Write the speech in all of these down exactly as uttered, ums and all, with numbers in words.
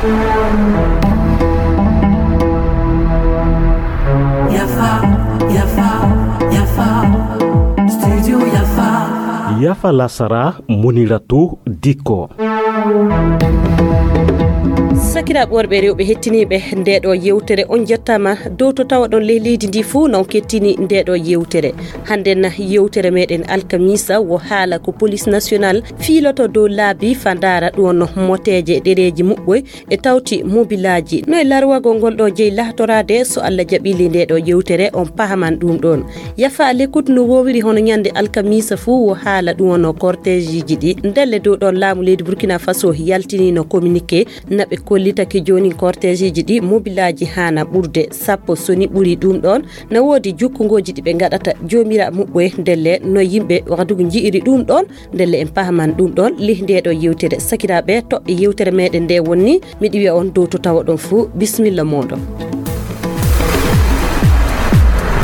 Yafa, yafa, yafa. Studio Yafa. Yafa lasara, Muniratu Diko. Sakiraaɓe worɓe e rewɓe hettiniiɓe ndeeɗo yewtere, on njettaama dow to tawaɗon ley leydi ndi fuu, non kettini ndeeɗo yewtere. Hannden yewtere meɗen alkamisa wo haala ko Police National fiiloto dow laabi fa ndaara ɗum wonno moteeje ɗereeji muɓɓoy e tawti mobilaaji. No e larwagol ngol ɗo jeyi lahtoraade, so Allah jaɓili ndeeɗo yewtere, on pahaman ɗum ɗon. Yafa l'écoute no woowiri hono ñande alkamisa fuu wo haala ɗum wonno cortègeji ɗi. Ndelle dow ɗon laamu leydi Burkina Faso yaltinino communiqué na ɓe kollitake joonin cortègeji ɗi mobilaaji haana ɓurde sappo, so ni ɓuri ɗum ɗon. Na woodi jukkungoji ɗi ɓe ngaɗata joomira muɓɓoye ndelle no yimɓe Wagadugu nji'iri ɗum ɗon. Ndelle en pahaman ɗum ɗon lih nde ɗo yewtere. Sakiraaɓe, toɓɓe yewtere meɗen nde wonni, miɗi wiya on dow to tawa ɗon fuu, bismilla moɗon.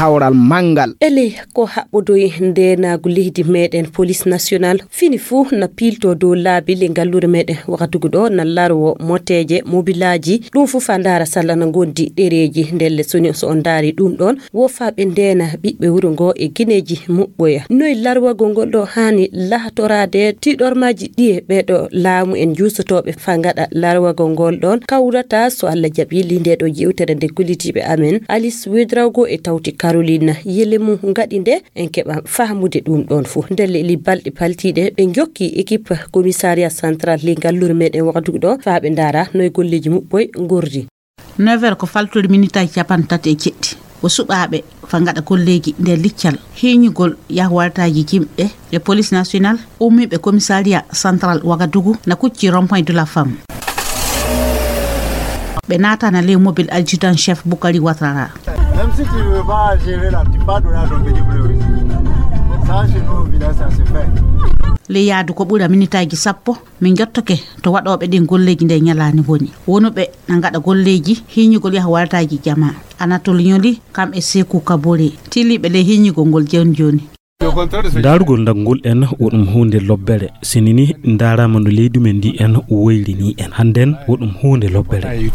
Hawral manngal. Ele ko haɓɓodoyi ndenaagu leydi meɗen Police National fini fuu na piilto dow laabi le ngalluure meɗen Wagadugu ɗo na larwo moteeje, mobilaaji, ɗum fuu fa ndaara salla na ngondi ɗereeji. Ndelle soni so on ndaari ɗum ɗon, wo faa ɓe ndeena ɓiɓɓe wuro ngo e gineeji muɓɓoya. Noy larwagol ngol ɗo haani lahtoraade? Tiiɗormaaji ɗiye ɓeeɗo laamu en juusotooɓe faa ngaɗa larwagol ngol ɗon kawrata, so Allah jaɓi, li nde ɗo yewtere nde kollitiiɓe amen Alice Wedrago e tawti Caroline Yelemu ngaɗi nde, en keɓa fahmude ɗum ɗon fuu. Ndelle li balɗe paltiiɗe ɓe njokki équipe commissariat central li ngalluure meɗen Wagadugu ɗo faa ɓe ndaara noy golleeji muɓɓoy ngorri. Neuf heures ko faltorii minitaaji cappanɗe tati e jeɗɗi. Ko suɓaaɓe fa ngaɗa golleeji nder liccal hiiñugol yahwaltaaji jimɗe e Police National ummiiɓe commissariat central Wagadugu na kucci rond-point de la femme. Ɓe naatana ley mobile adjudant chef Bukari Ouattara. Même si tu ne veux pas gérer là, tu peux donner à ton petit frère aussi. Ça, chez nous, au village, ça se fait. Ley yaadu ko ɓura minitaaji sappo, min njottake to waɗooɓe ɗin golleeji nde ñalaande ngoni. Wonuɓe na ngaɗa golleeji hiiñugol yahwaltaaji jamaa. Anatole Ñoli, kam e Seeku Kabore, tiliiɓe ley hiiñugol ngol jooni jooni. Ndaarugol ndagngol en, wo ɗum huunde lobbere. Sini ni ndaaraama no leydi men ndi en woyri ni en. Hannden wo ɗum huunde lobbere.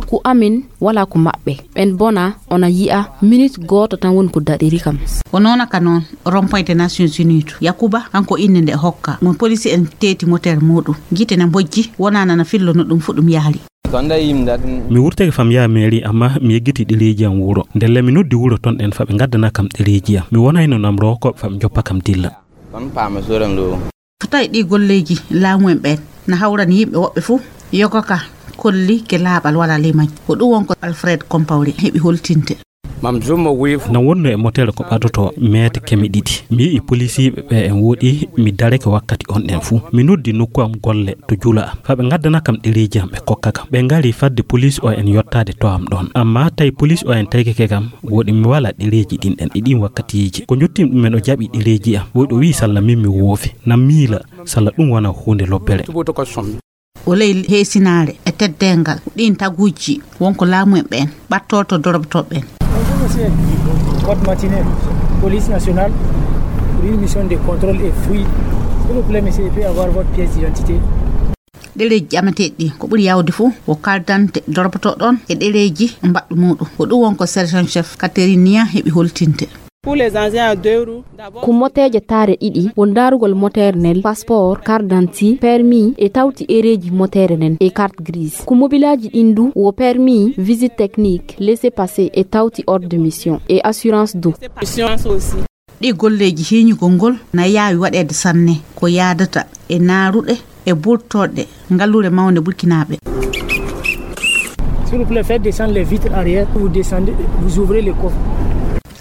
Ko amin, wala ko maɓɓe. Ɓen bona, ona yi'a, minute gooto tan woni ko daɗiri kam. Ko noona ka noon, rond-point des Nations Unies to. Yakuba, kanko innde nde hokka. Mo police en teeti moteur muuɗum. Gite na mbojji, wonaa nana fillo no ɗum fu ɗum yahri. Mi wurtake fam yaha mairie, amma mi yeggiti ɗereeji am wuro. Ndelle mi noddi wuro ton ɗen fa ɓe ngaddana kam ɗereeji am. Mi wonayno namroowo ko ɓe fa ɓe njoppa kam dilla. Ko tawi ɗi golleeji laamu en ɓen na hawrani yimɓe woɓɓe fuu. Yoga ka kolli ke laaɓal wala limañ. Ko ɗum won ko Alfred Compaoré heɓi holtinde. Na wonno e motere ko ɓadotoo meete keme ɗiɗi. Mi yi'i polisiiɓe ɓe en woɗi, mi dareke wakkati on ɗen fuu. Mi noddi nokku am golle to jula am. Fa ɓe ngaddana kam ɗereeji am ɓe kokka kam. Ɓe ngari fadde polis o en yottaade to am ɗon. Amma tawi polis o en taykeke kam, woɗi mi wala ɗereeji ɗin ɗen e ɗin wakkatiiji. Ko njottim ɗumen o jaɓi ɗereeji am. Woɗi o wi'i salla min mi woofi. Na miila salla ɗum wona huunde lobbere. O ley heesinaare e teddeengal ɗiin taguuji wonko laamu en ɓeen ɓattorto dorobotooɓe ɓeen. Bonjour, monsieur. Code matinée, police nationale, pour une mission de contrôle et fouille. S'il vous plaît, monsieur, je peux avoir votre pièce d'identité? Ɗereeji ƴameteeɗi ɗi ko ɓuri yaawde fof ko carte d'identité dorobotooɗo on e ɗereeji mbaɗɗo muuɗum. Ko ɗum won ko sergent chef Catherine Niang heɓi holtinde. Pour les engins à deux roues, d'abord. Ko moteeje taare ɗiɗi, won ndaarugol moteere nden, passeport, carte d'identité, permis, e tawti ereeji moteere nden, e carte grise. Ko mobilaaji ɗin du, wo permis, visite technique, laissez-passer, e tawti ordre de mission, e assurance du. Assurance aussi. Ɗi golleeji hiiñugol ngol na yaawi waɗeede sanne, ko yaadata e naaruɗe e burtorɗe ngalluure mawnde Burkinaaɓe. S'il vous plaît, faites descendre les vitres arrière, vous descendez, vous ouvrez les coffres.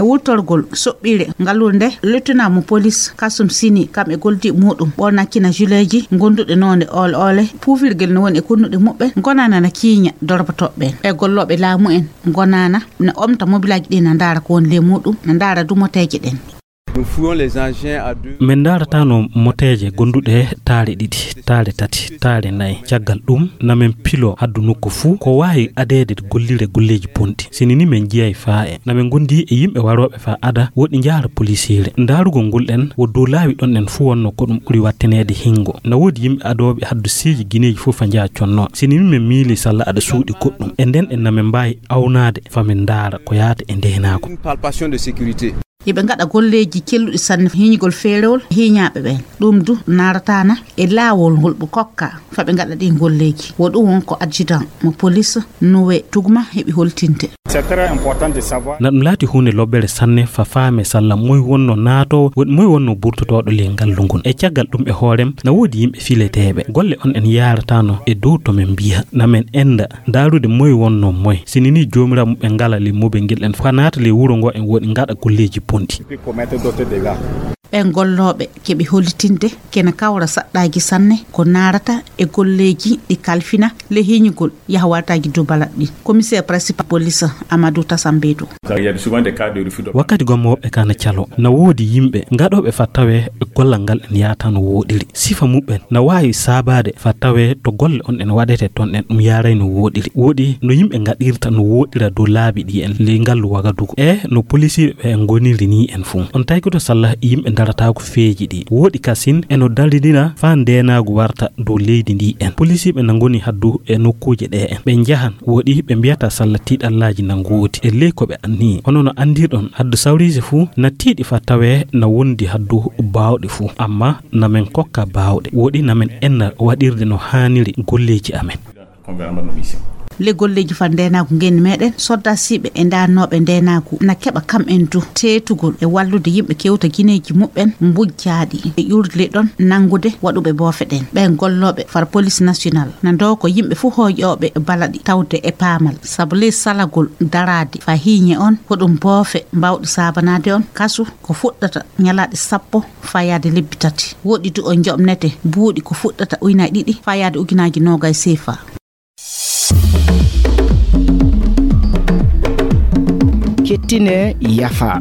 E wurtorgol soɓɓiire ngalluure nde, lieutenant mo police Kasum Sini, kam e goldi muuɗum, ɓornakkina juleeji gonduɗe noone oole oole, puufirgel no woni e kunnuɗe muɓɓe, gonana na kiiña dorobotooɓe ɓen. E gollooɓe laamu en gonana na omta mobilaaji ɗi na ndaara ko woni ley muuɗum, na ndaara du moteeje ɗen. Nous fouillons les engins à deux. Min ndaarataano moteeje gonduɗe taare ɗiɗi, taare tati, taare nayi. Caggal ɗum, namin pilo haddu nokku fuu ko waawi adeede gollire golleeji bonɗi. Sini ni min njiyay faa e. Namin ngondi e yimɓe warooɓe faa ada woɗi njaara polisiire. Ndaarugol ngol ɗen wo dow laawi ɗon ɗen fuu wonno ko ɗum ɓuri watteneede hingo. Na woodi yimɓe adooɓe haddu seeji gineeji fuu faa njaha conno. Sini ni min miili salla aɗa suuɗi goɗɗum. E nden ɗen namin mbaawi awnaade faa min ndaara ko yaata e ndeenaagu. Une palpation de sécurité. Hiɓe ngaɗa golleeji celluɗi sanne hiiñugol feerewol hiiñaaɓe ɓen. Ɗum du naarataana e laawol ngol ɓe kokka faa ɓe ngaɗa ɗin golleeji. Wo ɗum won ko adjudant mo police Nowe Tugma heɓi holtinde. C'est très important de savoir. Na ɗum laati huunde lobbere sanne faa faame salla moy wonno naatoowo, woɗi moy wonno burtotooɗo ley ngallu ngun. E caggal ɗum e hoorem, na woodi yimɓe fileteeɓe. Golle on en yaarataano e dow to min mbiya. Na min enda ndaarude moy wonno moy. Sini ni joomiraaɓe muɓɓen ngala ley mobel ngel en faa naata ley wuro ngo en woɗi ngaɗa golleeji bonɗi. Ɓen gollooɓe keɓi hollitinde kene kawra saɗɗaaji sanne ko naarata e golleeji ɗi kalfina ley hiiñugol yaha wartaaji dubalal ɗin. Commissaire principal police Amadou Tasambedu. Wakkati gomma woɓɓe ka na calo, na woodi yimɓe gaɗooɓe faa tawee gollal ngal en yaata no wooɗiri. Sifa muɓɓen na waawi saabaade faa tawee to golle on en waɗete ton en ɗum yaaray no wooɗiri. Woɗi no yimɓe ngaɗirta no wooɗira dow laabi ɗi en ley ngallu Wagadugu. E no polisiiɓe ɓe en ngoniri ni en fuu. On tawkuto salla yimɓe ndarataako feeji ɗi. Woɗi kasin e no daridira faa ndeenaagu warta dow leydi ndi en. Polisiiɓe na ngoni haddu e nokkuuje ɗe en. Ɓe njahan woɗi ɓe mbiyata salla tiiɗallaaji na ngoodi. E ley ko ɓe anniyii. Hono no anndirɗon haddu sawriiji fuu na tiiɗi faa tawee na wondi haddu baawɗe fuu. Amma na min kokka baawɗe. Woɗi na min enna waɗirde no haaniri golleeji amen. Ley golleeji faa ndeenaagu ngenndi meɗen, soddaasiiɓe e ndaarnooɓe ndeenaagu na keɓa kam en du teetugol e wallude yimɓe kewta gineeji muɓɓen mbujjaaɗi e ƴuurle ɗon nanngude waɗuɓe boofe ɗen. Ɓen gollooɓe far police national na ndooka yimɓe fuu hooƴooɓe balaɗi tawde e paamal. Sabu ley salagol daraade faa hiiñe on, ko ɗum boofe mbaawɗi saabanaade on kasu ko fuɗɗata ñalaaɗe sappo faa yaade lebbi tati. Woɗi du on njoɓnete buuɗi ko fuɗɗata ujunaaji ɗiɗi faa yaade ujunaaji noogay seefa. Kettine yafa.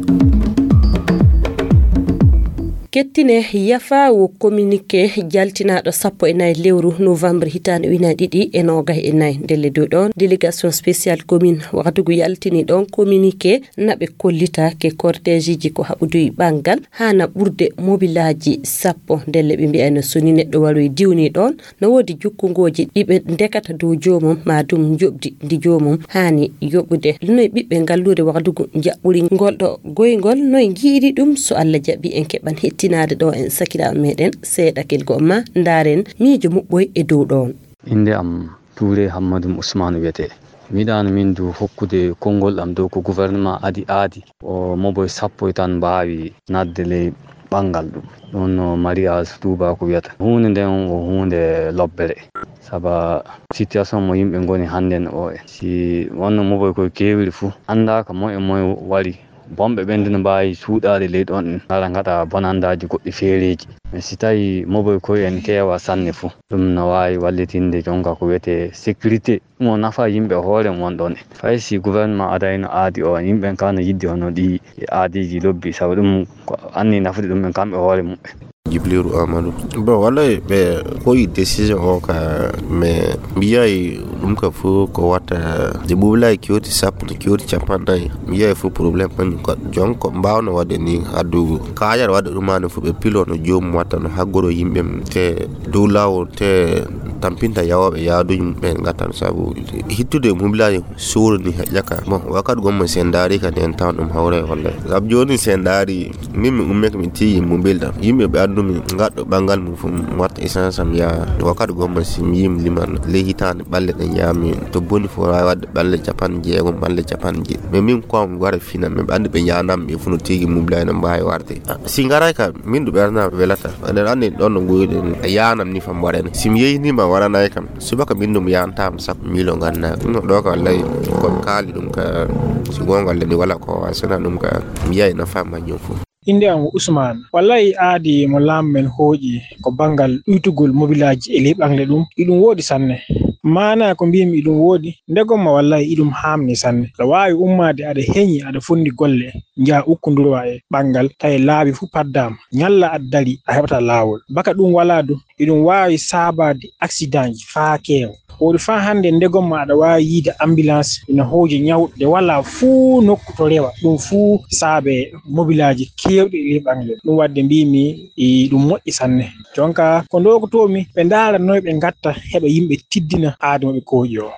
Kettine yafa wo communiqué jaltinaaɗo sappo e nayi lewru novembre hitaande ujunaaji ɗiɗi e noogay e nayi. Ndelle dow ɗon, délégation spéciale commune Wagadugu yaltini ɗon communiqué na ɓe kollita ke cortègeji ko haɓuduyi ɓanngal haana ɓurde mobilaaji sappo. Ndelle ɓe mbiyayno so ni neɗɗo waroyi diwni ɗon, no woodi jukkungooji ɗi ɓe ndekata dow joomum, maa dum njoɓdi ndi joomum haani yoɓude. Noy ɓiɓɓe ngalluure Wagadugu njaɓɓuri ngol ɗo goyngol? Noy njiiri ɗum? So Allah jaɓi, en keɓan hettinaade ɗo en sakiraaɓe meɗen seeɗa kelgo ma ndaaren miijo muɓɓoy e dow ɗon. Innde am Tuure Hammadum Usmaanu wiyetee. Mi yiɗaano min du hokkude konngol am dow ko gouvernement adi aadi o moboy sappo e tan mbaawi naatde ley ɓanngal ɗum. Ɗum no mariage tuubaaku wiyata. Huunde nden ko huunde lobbere. Saba situation mo yimɓe ngoni hannden o, e si wonno moboy koye keewiri fuu, anndaaka moy e moy wari. Bonɓe ɓen du no mbaawi suuɗaade ley ɗon, ngara ngaɗa bonandaaji goɗɗi feereeji. Mais si tawii moboy koye en keewa sanne fuu, ɗum no waawi wallitinde jonka ko wiyetee sécurité. Ɗum o nafa yimɓe hoore mum won ɗon. Fay si gouvernement adayno aadi o, yimɓe ɓen ka no yiɗde hono ɗi aadiiji lobbi, sabu ɗum ko anni nafude ɗum ɓen kamɓe hoore mumɓe. Jibrilu Amadou. Bon, wallay ɓe koyi décision o ka, mais mi yiyay ɗum ka fof ko watta de ɓuuɓlay kewti sappo, kewti capanɗe nayi. Mi yiyay fof problème kañum ka. Jon ko mbawno waɗde ni addu kaaƴal waɗde ɗum, maa no fof ɓe pilo no joomum watta no haggoro yimɓe mum te dow laawol te tampinta yawooɓe yaaduuji mum ɓen ngatta no sabu hittude mobilaaji suudu ni heƴƴaka. Bon, wakkati gomma si en ndaari kadi en tawan ɗum hawre wallay. Sabu jooni si en ndaari min mi ummeke mi tiigi mobil ɗam. Yimɓe ɓe anndumi ngaɗɗo ɓanngal mum fof mi watta essence am yaha. Wakkati gomma si mi yii mi liman ley hitaande ɓalle ɗen yaami to boni fof waawi waɗde ɓalle capanɗe jeegom, ɓalle capanɗe jeeɗiɗi. Mais min ko mi wara fina, mais ɓe anndi ɓe njanam ɓe fof no tiigi mobilaaji no mbaawi warde. Ah, si ngaray ka, min du ɓernam welata. Aɗa anndi ɗon no ngoyɗen, a yaanam ni fam waɗani. Si mi yeynima waɗanay kam, subaka min du mi yaantaama sappo mille o ngannda. No ɗo ka wallay ko mi kaali ɗum ka, si goonga Allah ni wala ko wa sona ɗum ka, mi yiyay nafa majjum fof. Innde am ko Usmaan. Wallay aadi mo laamu men hooƴi ko banngal ɗuytugol mobilaaji e ley ɓaŋle ɗum, iɗum woodi sanne. Maanaa ko mbiimi iɗum woodi, ndegomma wallaahi iɗum haamni sanne. Aɗa waawi ummaade aɗa heñi, aɗa fonndi golle, njaha ukkundurwa e ɓanngal, tawi laabi fuu paddaama. Ñalla aɗa dari, a heɓataa laawol. Baka ɗum walaa du, iɗum waawi saabaade aksidaanji faa keewa. Woodi faa hannde ndegomma aɗa waawi yiide ambulance ina hooja ñawɗo nde walaa fuu nokku to rewa. Ɗum fuu saabe mobilaaji keewɗi e ley ɓanngal. Ɗum waɗde mbiimi iɗum moƴƴi sanne. Jonka ko ndokotoomi ɓe ndaara noy ɓe ngatta heɓa yimɓe tiddina aadi mo ɓe kooƴi o.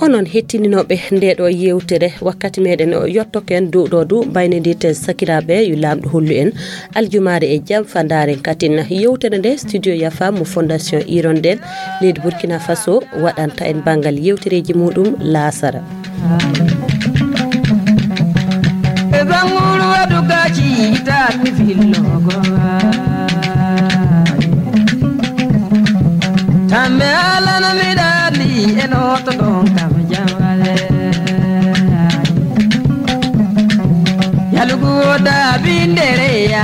Onon hettininooɓe nde ɗo yewtere, wakkati meɗen o yottoken dow ɗo du, mbaynodirten sakiraaɓe, yo Laamɗo hollu en aljumaare e jam, fa ndaaren katin yewtere nde. Studio Yafa mo Fondation Hirondelle leydi Burkina Faso waɗanta en banngal yewtereeji muɗum laasara. E banguru adugaji itati fillogo. Tambe alana midali enoto don kam jamale. Yalugu da bindere ya.